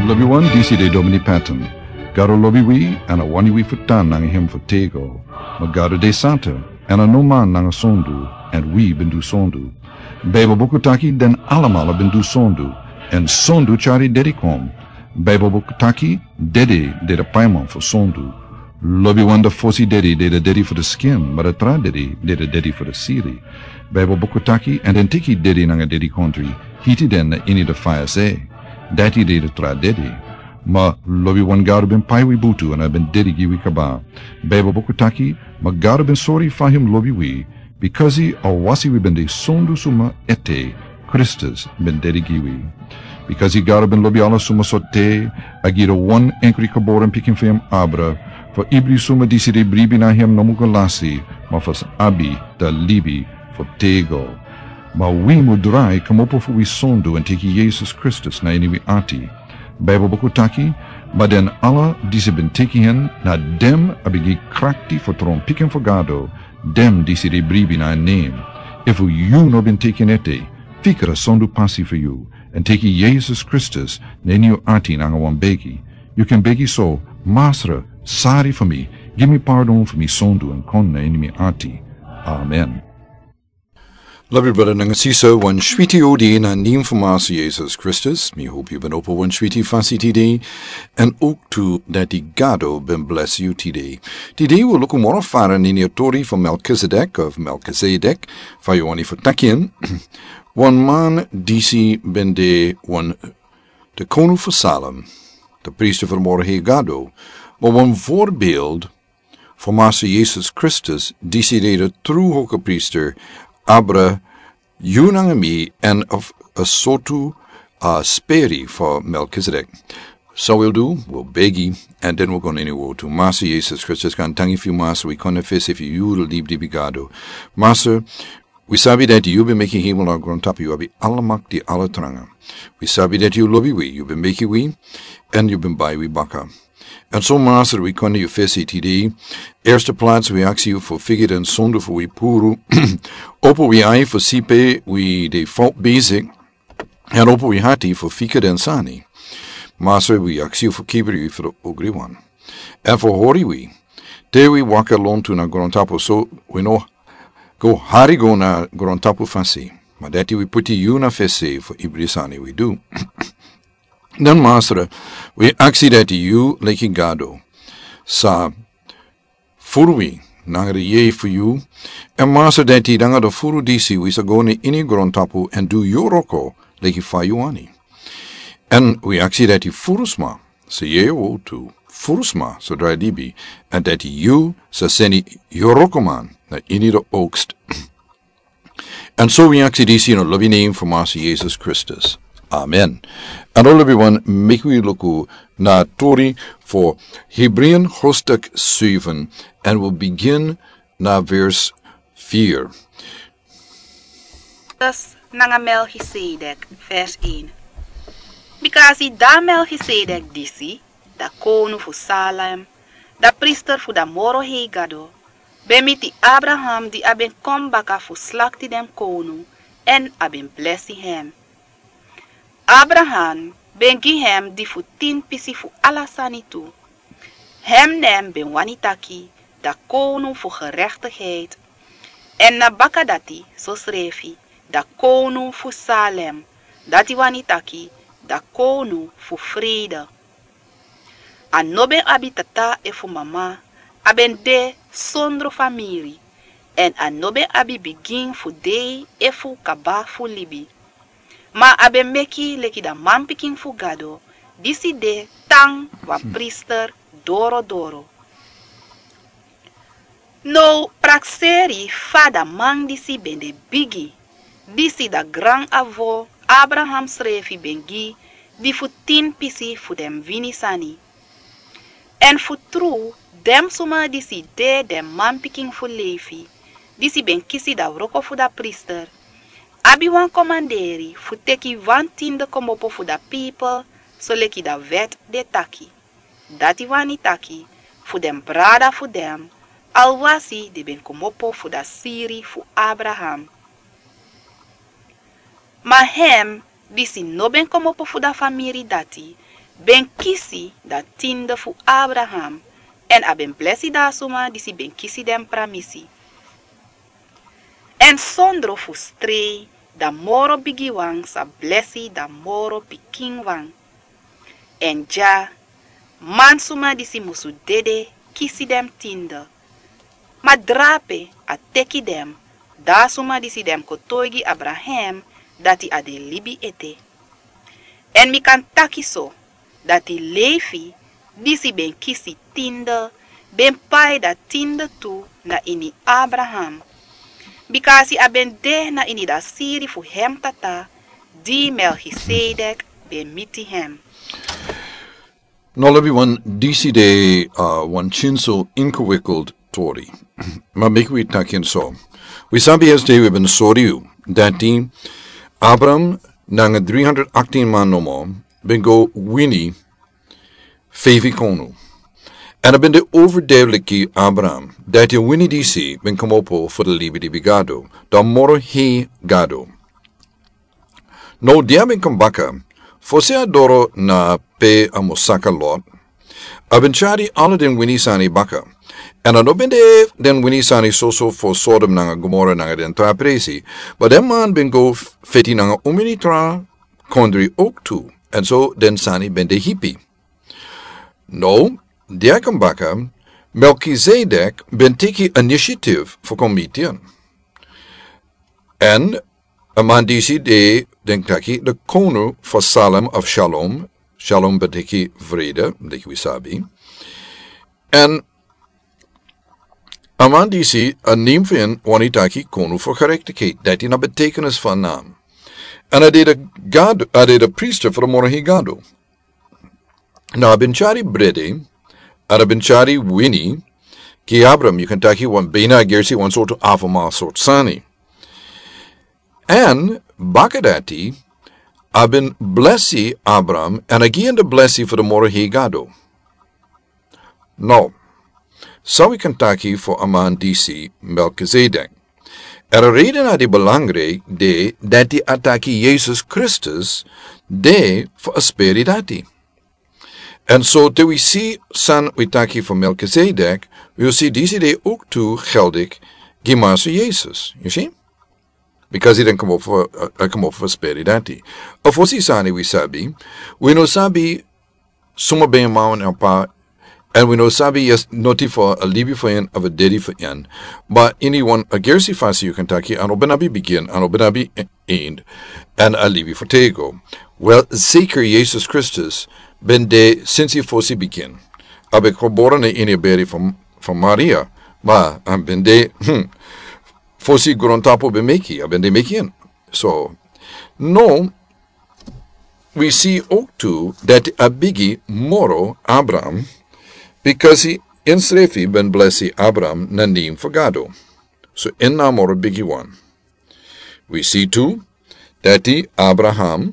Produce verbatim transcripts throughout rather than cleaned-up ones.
Lobiwan, disi de Domini Patton. Gado lobi wi, èn a wani wi fu tan nanga hem fu tego. Ma Gado de santa, èn a no man nanga sondu, èn wi ben du sondu. Baibel buku taki den alamala ben du sondu, èn sondu tyari dede kon. Baibel buku taki dede de de paiman fu sondu. Lobiwan, a fosi dede de de dede fu de skin, ma a tra dede de de dede fu de siri. Baibel buku taki, èn den teki dede nanga dedikondri, hiti den na ini de faya se. Dati de de tra dede. Ma lobiwan, Gado ben pai wi butu èn a ben dede gi wi kaba. Baibel buku taki, ma Gado ben sori fa hem lobi wi, bikasi a wasi wi ben de sondu suma ete, Kristus ben dede gi wi. Bikasi Gado ben lobi ala suma sortu, a gi de wan enkri geboren pikin fu hem abra, fu ibri suma disi de bribi na hem no mu go lasi, ma fu sa abi de libi fu tego. Ma wi mu drai kmopo fu wi sondu èn teki Yesus Kristus na ini wi ati. Baibel buku taki, ma den ala disi ben teki hen, na den a ben gi krakti fu tron pikin fu Gado, den disi de bribi na en nen. Efu yu no ben teki en ete, fikra sondu pasi fu yu, èn teki Yesus Kristus na ini yu ati nanga wan begi. Yu kan begi so: Masra, sari fu mi, gi mi pardon fu mi sondu èn kon na ini mi ati. Amen. Lobi brada nanga sisa, wan switi odi na nen fu Masra Yesus Kristus. Mi hopi yu ben opo wan switi fasi tide, èn ook tu dati Gado ben blesi yu tide. Tide wi luku moro fara na ini a tori fu Melkizedek of Melkizedek, fa yu wani fu taki en. Wan man disi ben de wan de konu fu Salem, de priester fu de moro hei Gado, ma wan voorbeeld fu Masra Yesus Kristus, disi de de tru hogepriester, abra yu nanga mi èn a sortu, a speri fu Melkizedek. San wi o du, wi o begi, èn den wi o go na ini wortu. Masra Yesus Kristus, gaantangi fu yu, Masra, wi kon na yu fesi fu yu de libi di wi Gado. Masra, wi sabi dati yu ben meki hemel nanga grontapu, yu abi ala makti, ala tranga. Wi sabi dati yu lobi wi, yu ben meki wi, èn yu ben bai wi baka. Èn so Masra, wi kon na yu fesi tide. Eerste plaats wi aksi yu fu figi den sondu fu wi puru. Opo wi ai fu si pe wi de fout bezig. Èn opo wi hati fu figi den sani. Masra, wi aksi yu fu kibri wi fu de ogriwan. Èn fu hori wi te wi waka lontu na grontapu, so wi no go hari go na grontapu fasi. Ma dati wi poti yu na fesi fu ibri sani wi du. Dan Masra, wi aksi dati yu leki Gado sa furu wi nanga de yeye fu yu. Èn Masra, dati nanga de furu disi wi sa go na ini grontapu èn du yu wroko leki fa yu wani. Èn wi aksi dati furu sma sa yere wortu, furu sma sa drai libi, èn dati yu sa seni yu wrokoman na ini de oogst. Èn so wi aksi disi ini a lobi nen fu Masra Yesus Kristus. Amen. Èn now lobiwan, meki wi luku na tori fu Hebreeën hoofdstuk zeven, èn wi o bigin na vers vier. Kristus nanga Melchizedek, vers een. Bikasi da Melchizedek disi, da konu fu Salem, da priester fu da moro hei Gado, ben miti Abraham di a ben kon baka fu slakti den konu, èn a ben blesi hem. Abraham ben gi hem di fu tin pisi fu ala sani tu. Hem nen ben wani taki da konu fu gerechtigheid. Èn na baka dati sosrefi da konu fu Salem, dati wani taki da konu fu frede. A no ben abi tata efu mama, a ben de sondro famiri, èn a no ben abi bigin fu dei efu kaba fu libi. Ma a ben meki leki da manpikin fu Gado, disi de tan wan priester dorodoro. Now prakseri fa da man disi ben de bigi, disi da gran-avo Abraham srefi ben gi di fu tin pisi fu den wini sani. Èn fu tru, den suma disi de den manpikin fu Lefi, disi ben kisi da wroko fu da priester, abi wan komanderi fu teki wan tinde kmopo fu da pipel, soleki da wet de taki. Dati wani taki, fu den brada fu den, alwasi den ben kmopo fu da siri fu Abraham. Ma hem, disi no ben kmopo fu da famiri dati, ben kisi dan tinde fu Abraham, èn a ben blesi dan a suma disi ben kisi den pramisi. Èn sondro fustrei dan moro bigiwan sa blesi dan moro pikinwan. Èn dya, mansuma disi musu dede kisi den tinde. Ma drape a teki den, dan a suma disi den kotoigi Abraham dati a de libi ete. Èn mi kan taki so, dati Lefi, disi ben kisi tinde, ben pai dan tinde tu na ini Abraham. Bika a si a ben de na ini dan siri fu hem tata, di Melkisedek ben miti hem. No, lobi wan, disi de, uh, wan chinso ingewikkeld tori. Ma meki wi taki en so. Wi sabi yesde wi ben sori yu dati Abraham nanga dri hundred achttien man nomo ben go wini feifi konu. Èn a ben de overduidelijk gi Abraham dati a wini disi ben komopo fu de libi di bi Gado, dan moro hei Gado. No, di a ben kon baka, fosi a doro na pe a mus saka Lot, a ben tyari ala den wini sani baka. Èn a no ben de den wini sani soso fu Sodom nanga Gomora nanga den tra presi, ma den man ben go f-, feti nanga umini tra kondri ook tu. Èn so den sani ben de hipi. No, di a kon baka, Melkisedek ben teki initiative fu kon miti en. Èn a man disi de, den taki, de konu fu Salem of Shalom. Shalom ben teki vrede, leki wi sabi. Èn a man disi, a nen fu en wani taki konu fu gerechtigheid. Dati na betekenis fu a nam. Èn a de de Gado, a de de priester fu de moro hei Gado. Na a ben tyari brede, èn a ben tyari wini, gi Abraham, yu kan taki wan bina gersi, wan sortu afama sortu sani. Èn baka dati, a ben blesi Abraham, èn a gi en de blesi fu de moro hei Gado. No, san wi kan taki fu a man disi Melkisedek? Èn a reden na di belangrijk de dati a taki Yesus Kristus de fu a speri dati. Èn so te wi si san wi taki fu Melkisedek, wi o si disi de ook tu geldig gi Master Yesus. Yu si? Because den komopo fu, uh, komopo fu speri dati. A fosi sani wi sabi, wi no sabi suma ben a man of a pa, èn wi no sabi, yes, noti fu a libi fu en of a dedi fu en. Ma ini wan a gersi fasi yu kan taki, a no ben abi bigin, a no ben abi e-, eind, èn a libi fu tego. Wel, zeker Yesus Kristus ben de sinsi fosi bigin. A ben gebore na ini a beri fu, fu Maria, ma a ben de, hmm, fosi grontapu ben meki, a ben de meki en. So, no, wi si ook tu dati a bigi moro Abraham, because ensrefi ben blesi Abraham na nen fu Gado. So en na moro bigi wan. Wi si tu dati Abraham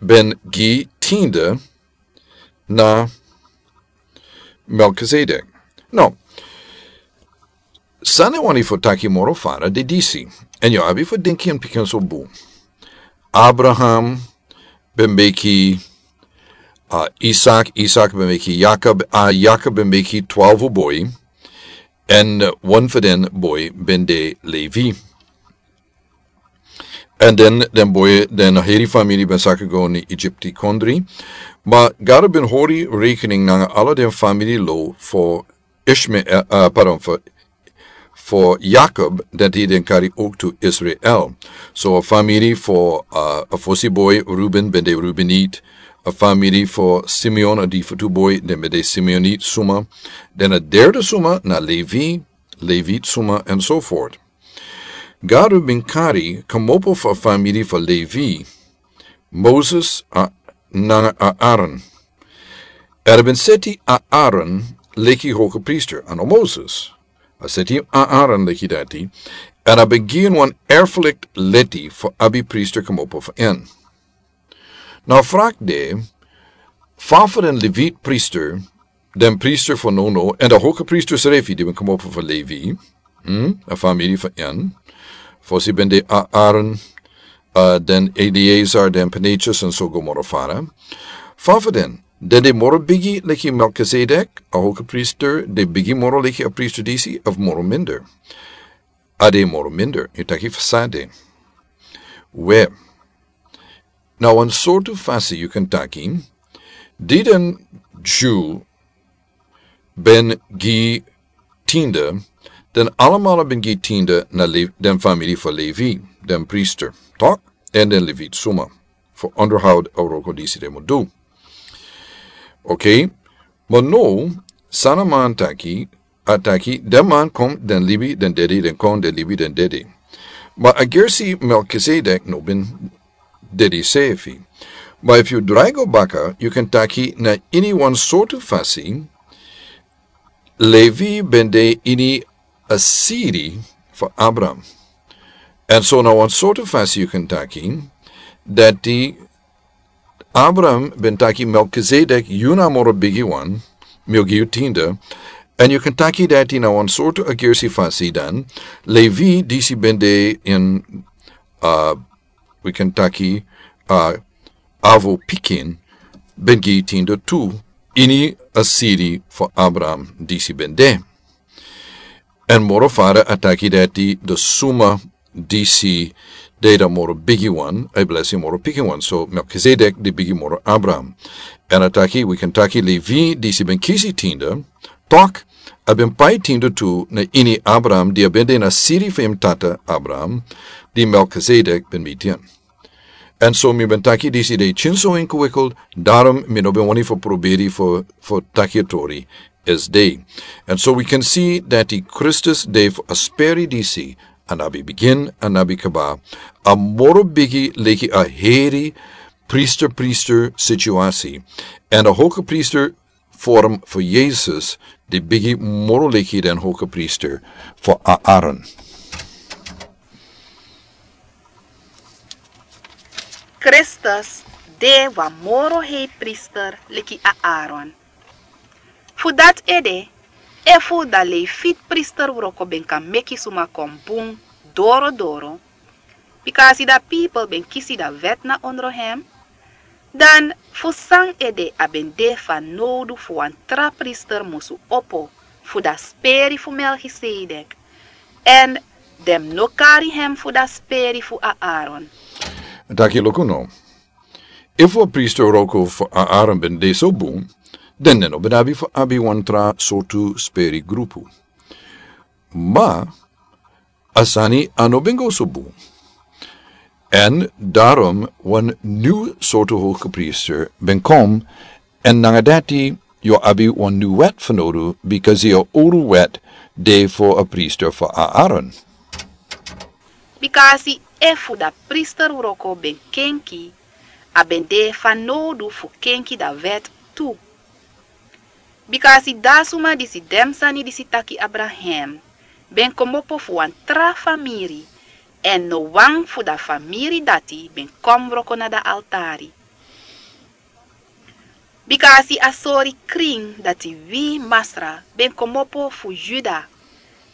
ben gi tinde na Melkisedek. No, san a wani fu taki moro fara de disi, èn yu abi fu denki en pikin so bun. Abraham ben meki, uh, Isak, Isak ben meki Yakob, uh, Yakob ben meki twaalfu boi, èn, uh, wan fu den boi ben de Levi. Èn den, den boi, den heri famiri ben saka go na Egypti kondri. Ma Gado ben hori rekening nanga ala den famiri lo fu Ishmael, uh, pardon, fu, fu Yakob, dati den kari ook tu Israel. So a famiri fu, uh, a fosi boi Ruben ben de Rubenit, a famiri fu Simeon, a di fu tu boi, den ben de Simeonit suma. Den a derde suma na Levi, Levit suma, and so forth. Gado ben kari komopo fu a famiri fu Levi, Moses, a, nanga Aaron. Èn a ben seti Aaron leki hoge priester, a no Moses. A seti Aaron leki dati, èn a ben gi en wan erfelijk leti fu abi priester komopo fu en. Na a vraag de, fa fu den Levit priester, den priester fu now now, èn den hoge priester srefi di ben komopo fu Levi, hmm, a famiri fu en, fosi ben de A-, Aaron, uh, den Eleazar, den Pinchas, èn so go moro fara. Fa fu den, Den de moro bigi leki Melkizedek, a hoge priester, de bigi moro leki a priester disi, of moro minder? A de moro minder, yu taki fa san de. We, na wan sortu fasi yu kan taki, di den Jew ben gi tiende, den alamala ben gi tiende na Le-, den famiri fu Levi, den priester, toch? En den Levit suma, fu onderhoud a wroko disi den mu du. Oké, ma now, san a man taki, a taki, den man kon, den libi, den dedi, den kon, den libi, den dedi. Ma a gersi Melkizedek no ben dedi sefi. Ma efu yu drai go baka, yu kan taki na ini wan sortu fasi, Levi ben de ini a siri fu Abraham. En so na wan sortu fasi yu kan taki, dati Abraham ben taki Melkizedek, yu na moro bigi wan, mi o gi yu tiende. En yu kan taki dati na wan sortu a gersi fasi dan, Levi disi ben de in, uh, wi kan taki, uh, avo pikin, ben gi tiende tu, ini a siri fu Abraham disi ben de. En moro fara a taki dati den suma disi de den moro bigi wan, a blesi moro pikin wan. So Melkizedek de bigi moro Abraham. En a taki, wi kan taki Levi disi ben kisi tiende, toch, a ben pai tiende tu na ini Abraham, di a ben de na siri fu en tata Abraham, di Melkizedek ben miti en. En so mi ben taki disi de kin so ingewikkeld, daarom mi no ben wani fu proberi fu, fu taki a tori esde. En so wi kan si dati Kristus de fu a speri disi, a no abi bigin, a no abi kaba, a moro bigi leki a heri priester, priester situasi. En a hoge priester vorm fu Yesus, di bigi moro leki den hoge priester fu Aaron. Kristus de wan moro hei priester leki Aaron. Fu dati ede, efu a Levit priester wroko ben kan meki suma kon bun doro doro, bikasi a pipel ben kisi a wet na ondro hem, dan fu san ede a ben de fanowdu fu wan tra priester musu opo fu a speri fu Melkizedek, en den no kari hem fu a speri fu Aaron? Taki luku now. Efu a priester wroko fu Aaron ben de so bun, dan den no ben abi fu abi wan tra sortu speri grupu. Ma a sani a no ben go so bun. En daarom wan nyun sortu hoge priester ben kon, en nanga dati yu o abi wan nyun wet fanowdu, bikasi a owru wet de fu a priester fu Aaron. Bikasi efu a priester wroko ben kenki, a ben de fanowdu fu kenki a wet tu. Bikasi a suma disi de a sani disi taki abra hem, ben komopo fu wan tra famiri, en no wan fu a famiri dati ben kon wroko na a altari. Bikasi a sori krin dati wi Masra ben komopo fu Yuda,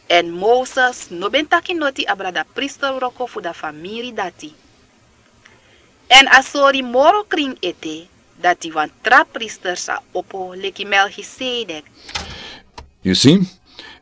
en Moses no ben taki noti abra a priester wroko fu a famiri dati. En a sori moro krin ete, dati wan tra priester sa opo leki Melchizedek. Yu si?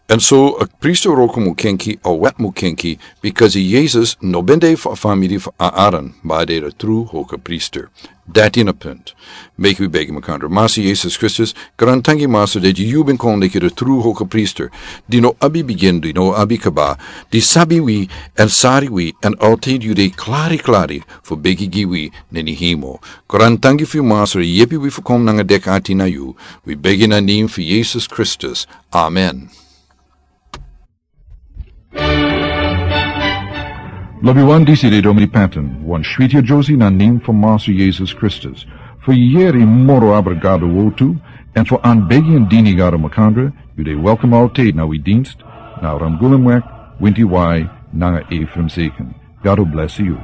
En so a priester wroko mu kenki, a wet mu kenki, bikasi Yesus no ben de fu a famiri fu Aaron, ma a de a tru hoge priester. Dati na a punt. Meki wi begi makandra. Masra Yesus Kristus, grantangi Masra dati yu ben kon leki a tru hoge priester, di no abi bigin, di no abi kaba, di sabi wi, en sori wi, en altijd yu de klari klari fu begi gi wi na ini hemel. Grantangi fu yu Masra, yepi wi fu kon nanga deki ati na yu. Wi begi na a nen fu Yesus Kristus. Amen. Lobiwan, disi de Domini Panton, wan switi a Josie na a nen fu Masra Yesus Kristus. Fu yeri moro abra Gado wortu, en fu anbegi en dini Gado makandra, yu de welkom altijd na wi dienst, na Ramgulumweg, winti wai, nanga Ephraim Zeken. Gado blesi yu.